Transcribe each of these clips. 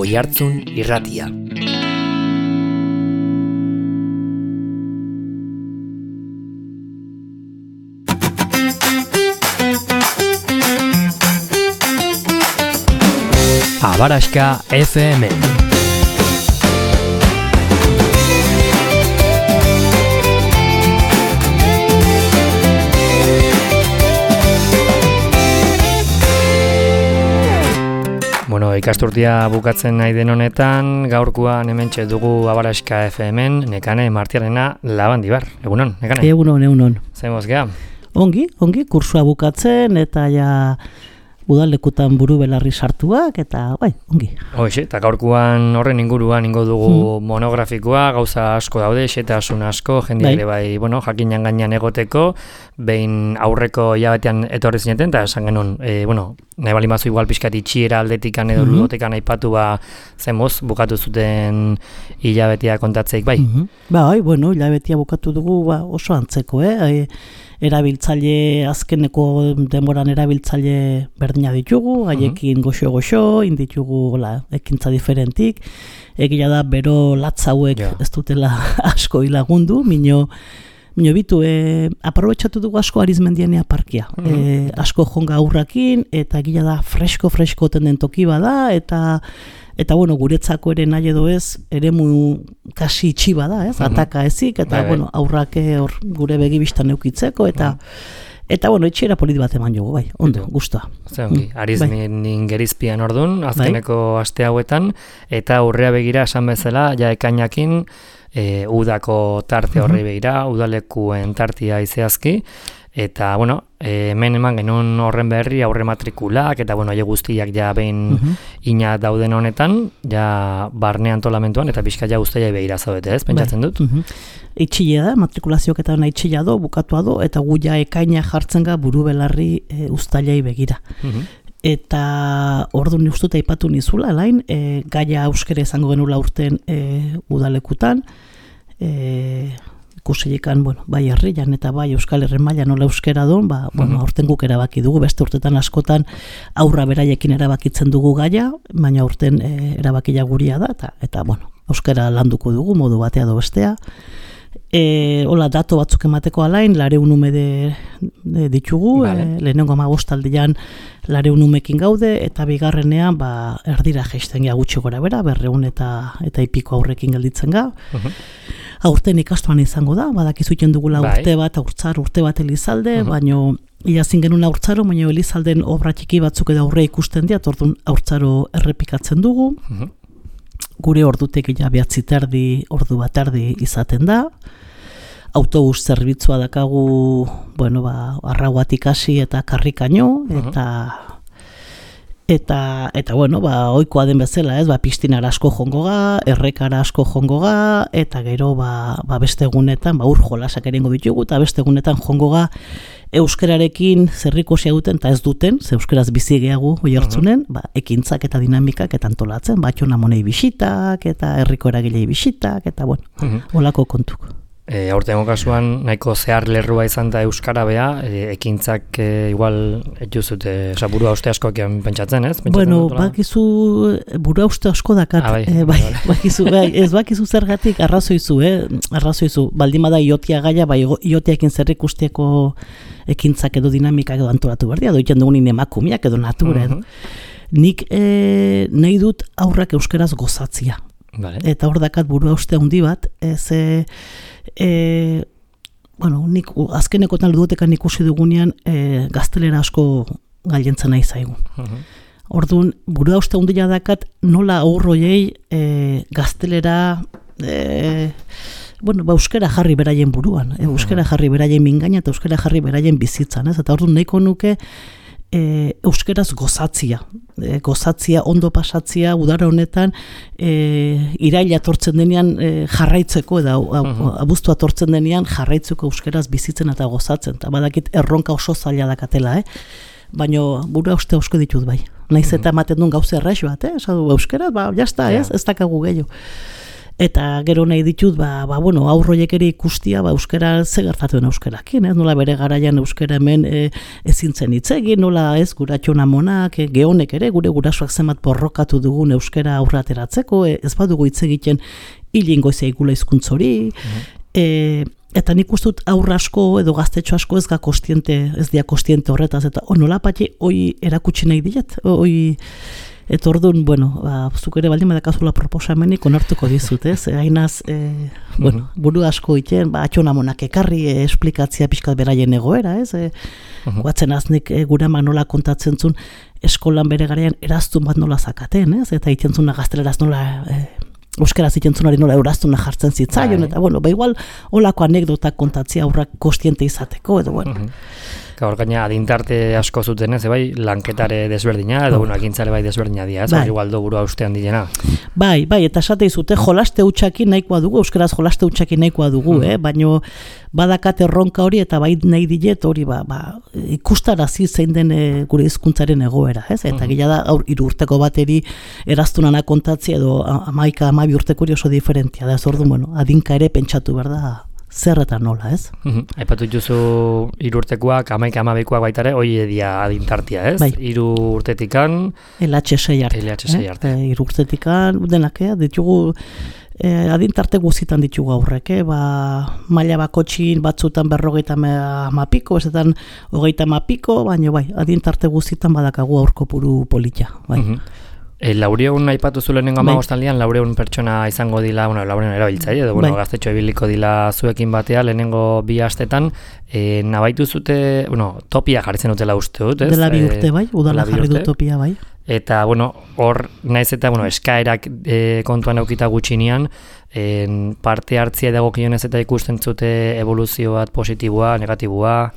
Oihartzun Irratia. Abaraxka FM. Bueno, ikasturtia bukatzen nahi den honetan, gaurkoan hementxe dugu Abaraxka FM-en, Nekane Martiarena Labandibar. Egunon, Nekane? Egunon. Zemoz geha? Ongi, kursua bukatzen eta ja udalekutan buru belarri sartuak eta bai, ongi. Hoxe, eta gaurkoan horren inguruan ingo dugu monografikoa, gauza asko daude, xetasun asko, jende ere bai, bueno, jakinan gainean egoteko, behin aurreko hilabetean etorri zineten, eta esan genuen, bueno, nahi bali mazu igual pixkat itxiera aldetikan edo ludotekan aipatu zemoz, bukatu zuten hilabetea kontatzeik, bai? Bai, bueno, hilabetea bukatu dugu oso antzeko, erabiltzaile, azkeneko denboran erabiltzaile berdina ditugu, haiekin goxo, inditugu ekintza diferentik, egia da bero latz hauek ez dutela asko hilagundu, mino bitu, aprobetxatu dugu asko Arizmendianea parkia, asko jonga aurrakin, eta egia da fresko tenden toki bada, eta bueno, guretzako ere nahi edo ez, eremu kasi itxi bada, ataka ezik, eta bueno, aurrake hor gure begibistan eukitzeko, eta bueno, etxera polit bat eman jogu, bai, ondo, guztua. Zeongi, Arizmenin gerizpian ordun, azkeneko aste hauetan, eta aurrea begira esan bezala, ja ekainakin, udako tarte horri begira, udalekuen tartia izeazki, eta, bueno, hemen eman genuen horren berri aurre matrikulak, eta, bueno, aile guztiak ja behin ina dauden honetan, ja barne antolamentuan, eta pixka ja guztia behira zaudete, ez, pentsatzen dut? Itxile da, matrikulazioak eta itxilea do, bukatua do, eta gu ja ekaina jartzen ga buru belarri uztailei begira. Eta orduan ustuta aipatu nizula, lain, gaia euskera izango genula urten udalekutan, ikusilikan, bueno, bai herrian eta bai Euskal Herren mailan nola euskera don, bueno, aurten guk erabaki dugu, beste urtetan askotan aurra beraiekin erabakitzen dugu gaia, baina urten erabakia guria da, eta bueno, euskera landuko dugu, modu batea do bestea. Hola, dato batzuk emateko alain, 400 ume ditugu, lehenengo 15 aldian 400 umekin gaude, eta bigarrenean erdira jaisten gea gutxi gora bera, 200 eta ipiko aurrekin gelditzen ga. Aurten ikastuan izango da, badakizuten dugula urte bat Elizalde, baino ilazin genuen aurtzaro, baina Elizalden obra txiki batzuk edo aurre ikusten dira, orduan aurtzaro errepikatzen dugu. Gure ordutek ja 9:30, ordu bat erdi izaten da. Autobus zerbitzua dakagu, bueno, Arrauatik hasi eta Karrikaino, eta bueno, ohikoa den bezala, ez, pistinara asko jongo ga, errekara asko jongo ga, eta gero beste egunetan, ur jolasak erengo ditugu, eta beste egunetan jongo ga euskerarekin zerrikusia duten, eta ez duten, ze euskeraz bizi gehiago Oiartzunen, ekintzak eta dinamikak eta antolatzen, Batxona monei bisitak, eta herriko eragilei bisitak, eta bueno, holako kontuk. Aurtengo kasuan nahiko zehar lerrua izan da euskara bea, ekintzak igual etxuzut, burua uste askoak pentsatzen, ez? Bueno, bakizu burua uste asko dakat, ez bakizu zergatik arrazoizu, baldimada iotia gaia, iotiakin zerrik usteko ekintzak edo dinamikak edo antolatu berdia, doitzen dugunin emakumiak edo natura edo. Nik nahi dut aurrak euskeraz gozatzia. Eta hor dakat burua uste handi bat, bueno, nik azkenekotan ludotekan ikusi dugunean gaztelera asko gailentzen nahi zaigun. Orduan, burua uste handia dakat nola aurroiei gaztelera bueno, euskera jarri beraien buruan, euskera jarri beraien mingaina eta euskera jarri beraien bizitzan, ez? Eta orduan nahiko nuke euskeraz gozatzia, ondo pasatzia, udara honetan iraila tortzen denean jarraitzeko, eta abuztua tortzen denean jarraitzeko euskeraz bizitzen eta gozatzen, eta badakit erronka oso zaila dakatela, baina burua uste osko ditut bai. Naiz eta ematen duen gauza erraix bat, esadu euskeraz, jazta, ez dakagu gehiago. Eta gero nahi ditut, bueno, aurroiek ere ikustia, euskara ze gertatu den euskarakin, nola bere garaian euskara hemen ezintzen hitz egin, nola ez guratxon amonak, geonek ere, gure gurasoak zenbat borrokatu dugun euskara aurrateratzeko, ez badugu hitz egiten hilingo izegula hizkuntz hori, eta nik uste dut aurra asko edo gaztetxo asko ez dia kostiente horretaz, eta nola pati hoi erakutsi nahi diet, eta orduan, bueno, zuk ere baldin badakazula proposamenik onartuko dizut, ez? Hainaz, buru asko iten, atxonamonak ekarri esplikatzia pixkat beraien egoera, ez? Guatzen aznik gure ama nola kontatzen zuen eskolan bere garaian eraztun bat nola zakaten, ez? Eta iten zuna gazteleraz nola... euskaraz itentzunari nola euraztuna jartzen zitzaion, eta bueno, igual olako anekdotak kontatzia aurrak kostiente izateko, edo bueno. Gaur gaina adintarte asko zuten ez, bai, lanketare desberdina, edo bueno, agintzale bai desberdina dira, ez, igual do burua ustean dilena. Bai, eta esate izute, jolaste hutsakin nahikoa dugu, euskaraz jolaste hutsakin nahikoa dugu, baino badakate erronka hori, eta bai nahi dilet hori, ikustarazi zein den gure hizkuntzaren egoera, ez? Eta gila da, 3 urteko bateri eraztunana kontatzea, edo 11-12 urteko hori oso diferentia, da ez orduan, bueno, adinka ere pentsatu behar da, zer eta nola, ez? Aipatu duzu 3 urtekoak, 11-12koak baitare, hoi edia adintartia, ez? 3 urtetikan... LH6 arte. 3 urtetikan, denak, ditugu... adintarte guzitan ditugu aurrek, maila bakotxin batzutan 50 piko, bezetan 30 piko, baina bai, adintarte guzitan badakagu aurko puru polita, bai. Laureun aipatu zu lehenengo 15aldian, laureun pertsona izango dila, laureun erabiltzaile, edo gaztetxo ibiliko dila zuekin batea, lehenengo 2 astetan, nabaitu zute, topia jarritzen dutela uste dut, ez? Dela 2 urte bai, udala jarri du topia bai. Eta, hor, naiz eta, eskaerak kontuan eukita gutxinean, parte hartzia dagokionez eta ikusten zute evoluzio bat positiboa, negatiboa,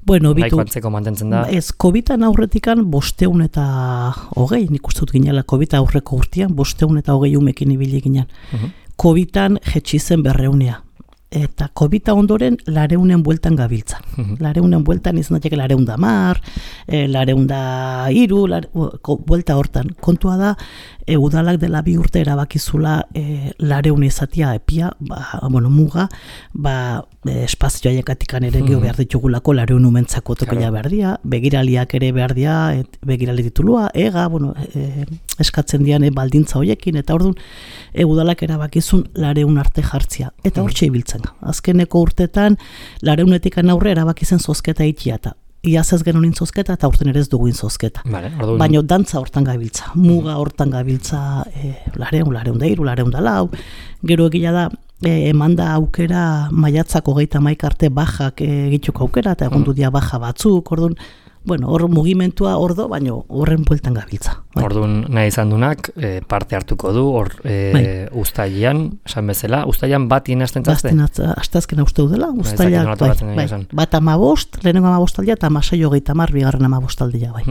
nahiko antzeko mantentzen da. Ez, COVID-an aurretikan 520, nik uste dut ginela COVID aurreko urtean, 520 umekin ibili ginen. COVID-an jetxi zen 200. Eta COVID-a ondoren 200 bueltan gabiltza. 200 bueltan izan datzeke 210, 203, buelta hortan. Kontua da, udalak dela 2 urte erabakizula 200 izatia epia, muga, espazioa jakatikan ere geho behar ditugulako 200 umentzako tokila behar dia, begiraliak ere behar dia, begirali titulua, eskatzen dian baldintza hoiekin, eta orduan udalak erabakizun 200 arte jartzia. Eta hortxe ibiltzen. Azkeneko urtetan 200etik aurre erabakizen zozketa itiata. Iaz ez genon intzozketa eta urten ere ez dugu intzozketa. Baina dantza hortan gabiltza, muga hortan gabiltza 200, 204, gero egila da, eman da aukera maiatzako 31 arte bajak egituko aukera, eta egon dudia baja batzuk, orduan, hor mugimentua ordo, baina horren bueltan gabiltza. Orduan nahi izan dunak parte hartuko du, hor uztailean, esan bezala, uztailean bat inazten zazte? Aztazkena uste dudela, uztailean, bat 15, lehenengo 15 aldia, eta 16 bigarren 15 aldia, bai.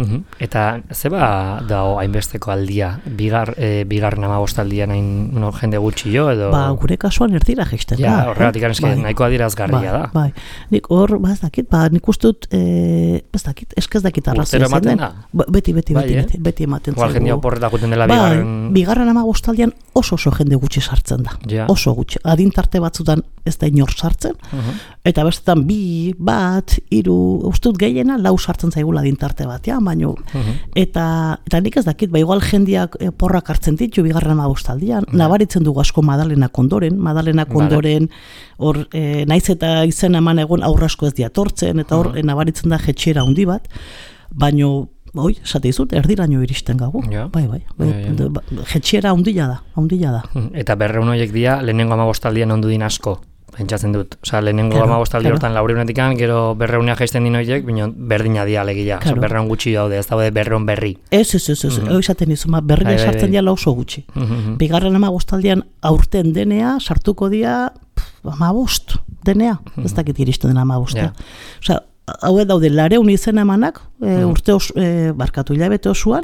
Eta zeba dao hainbesteko aldia, bigarren 15 aldia nahin jende gutxi jo, edo? Gure kasuan erdira geizten. Horregatik anezke nahiko adirazgarria da. Bai, nik hor, nik uste dut, ez dakit arrazia zen den. Beti ematen. Igual jendea oporreta guten dela bigarren... Bigarren 15 aldian oso jende gutxi sartzen da. Oso gutxi. Adintarte batzutan ez da inor sartzen, eta bestetan 2, 1, 3, ustut gehiena 4 sartzen zaigula adintarte batean, baino. Eta nik ez dakit, igual jendeak porrak hartzen ditu bigarren 15 aldian, nabaritzen dugu asko Madalenak ondoren, hor naiz eta izen eman egon aurrasko ez diatortzen, eta hor nabaritzen da jetxera handi bat, baino esate izut, erdiraino iristen gagu. Bai. Jetxera handila da. Eta 200 horiek dira, lehenengo 15 aldian ondu din asko, pentsatzen dut. Lehenengo 15 aldi hortan 400etik, gero 200 jaisten din horiek, berdina dia alegia. 200 gutxi daude, ez daude 200 berri. Ez, esaten izu, berria sartzen diala oso gutxi. Bigarren 15 aldian aurten denea, sartuko dia 15 denea, ez dakit iristen dena 15. Hau daude 200 izen emanak, urte hilabete osoan,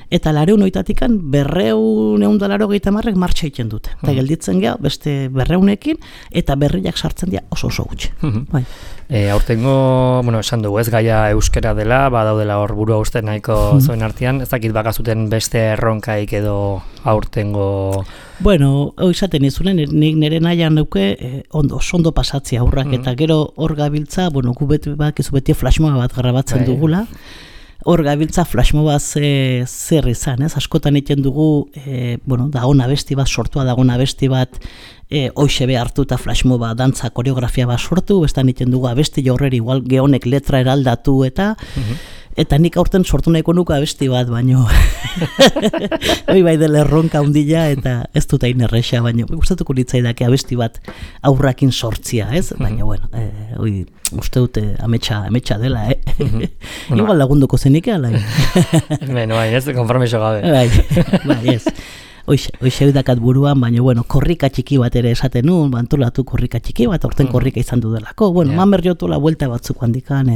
eta 200-etatik 280 martxa egiten dute. Eta gelditzen gea beste 200ekin eta berriak sartzen dira oso gutxi. Bai. Aurtengo, esan dugu, ez gaia euskera dela, badaudela hor burua uste nahiko zoen artean, ez dakit bakazuten beste erronkaik edo aurtengo... Bueno, izaten izunen, nik nire nahian neuke ondo pasatzea aurrak, eta gero hor gabiltza, gu beti flashmoba bat grabatzen dugula, hor gabiltza flashmoba zer izan, ez? Askotan egiten dugu, dagoen abesti bat, sortua dagoen abesti bat, hoxe be hartu eta flashmoba dantza koreografia bat sortu, bestan egiten dugu abesti jorreri igual gehonek letra eraldatu eta nik aurten sortu nahiko nuke abesti bat, baino hoi bai dela erronka hundila eta ez dut hain erresa, baino gustatuko litzaidake abesti bat aurrakin sortzia, ez? Baina, hoi uste dute ametsa dela, igual lagunduko zenik ala. Bai, ez, konformiso gabe. Bai, ez. Hoxe dakat buruan, baina, korrika txiki bat ere esaten nuen, antolatu korrika txiki bat, aurten korrika izan dudelako. Mamer jotu la vuelta batzuk handikan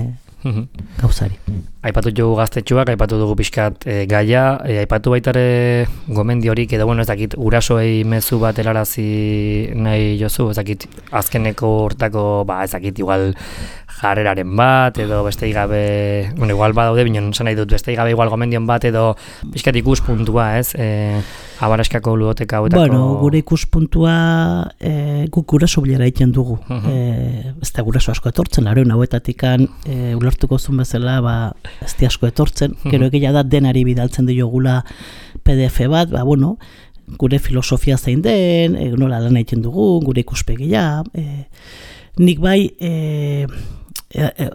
gauzari. Aipatu dugu gaztetxuak, aipatu dugu pixkat gaia, aipatu baitare gomendiorik, edo ez dakit, urasoei mezu bat helarazi nahi jozu, ez dakit, azkeneko hortako, ez dakit, igual jarreraren bat, edo beste gabe, igual badaude, bineon zan nahi dut, beste gabe igual gomendion bat, edo pixkat ikuspuntua, ez? Abaraskako ludoteka hauetako... Gure ikuspuntua guk guraso bilera egiten dugu. Ez da guraso asko etortzen, lareun hauetatikan ulertuko zuen bezala, ez di asko etortzen, gero egia da denari bidaltzen diogula PDF bat, gure filosofia zein den, nola lan egiten dugu, gure ikuspegia, nik bai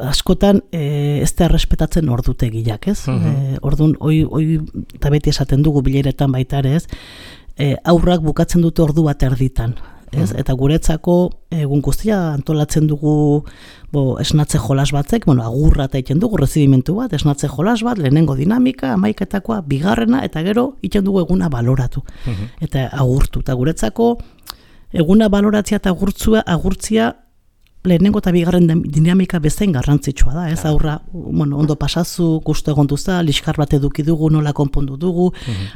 askotan ez da errespetatzen ordutegiak, ez? Orduan, hoi eta beti esaten dugu bileretan baita ere, ez? Aurrak bukatzen dute ordu bat erditan, ez? Eta guretzako egun guztia antolatzen dugu esnatze jolas batzek, agurra eta egiten dugu, rezibimentu bat, esnatze jolas bat, lehenengo dinamika, amaiketakoa, bigarrena, eta gero egiten dugu eguna baloratu. Eta agurtu, eta guretzako eguna baloratzea eta agurtzia lehenengo eta bigarren dinamika bezain garrantzitsua da, ez? Aurra, ondo pasazu, gustu egon duza, liskar bat eduki dugu, nola konpondu dugu,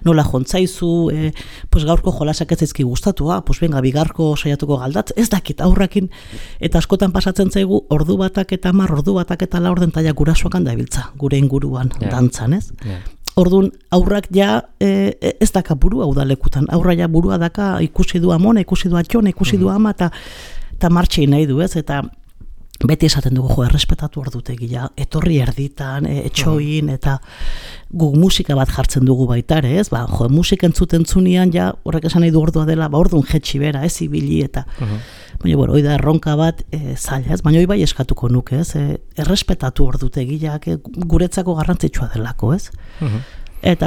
nola jontzaizu, gaurko jolasak ez ezki gustatu, venga, bigarko saiatuko galdatz, ez dakit aurrakin, eta askotan pasatzen zaigu, ordu batak eta 10, ordu batak eta 4 taia gurasoakan dabiltza, gure inguruan, dantzan, ez? Orduan, aurrak ja ez daka burua udalekutan, aurra ja burua daka ikusi du amona, ikusi du atxona, ikusi du ama, eta martxei nahi du, ez? Eta beti esaten dugu, errespetatu ordutegia, etorri erditan, etxoin, eta guk musika bat jartzen dugu baitare, ez? Musika entzuten zunean, ja, horrek esan nahi du ordua dela, orduan jetxi bera, ez ibili, eta baina, hoi da erronka bat zaila, ez? Baina hoi bai eskatuko nuke, ez? Errespetatu ordutegiak guretzako garrantzitsua delako, ez? Eta,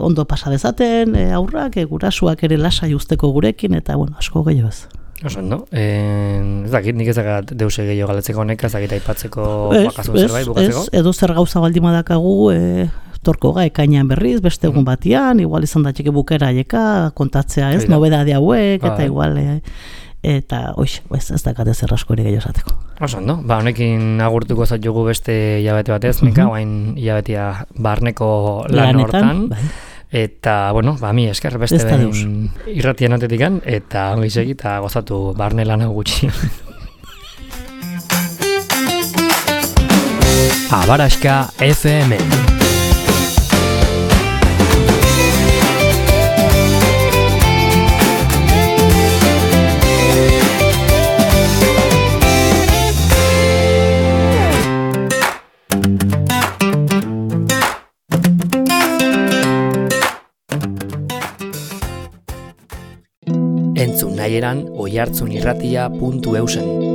ondo pasa dezaten, aurrak, gurasuak ere lasai usteko gurekin, eta, asko gehiago ez. Oso, no? Ez dakit, nik ez dakit deuse gehiago galetzeko honek, ez dakit aipatzeko bakazun zerbait, bukatzeko? Ez, edo zer gauza baldima dakagu, torko ekainean berriz, beste egun batian, igual izan da txeke bukera aieka, kontatzea, ez, nobedade hauek, eta igual, eta, ez dakat ez errasko ere gehiago esateko. Oso, no? Honekin agurtuko zaitu beste hilabete batez, Mika, oain hilabetea barneko lan hortan. Eta, mi esker beste behin irratian atetikan, eta ongi segi eta gozatu barne lan gutxi. Abaraska FM. Entzun nahieran oihartzunirratia.eusen.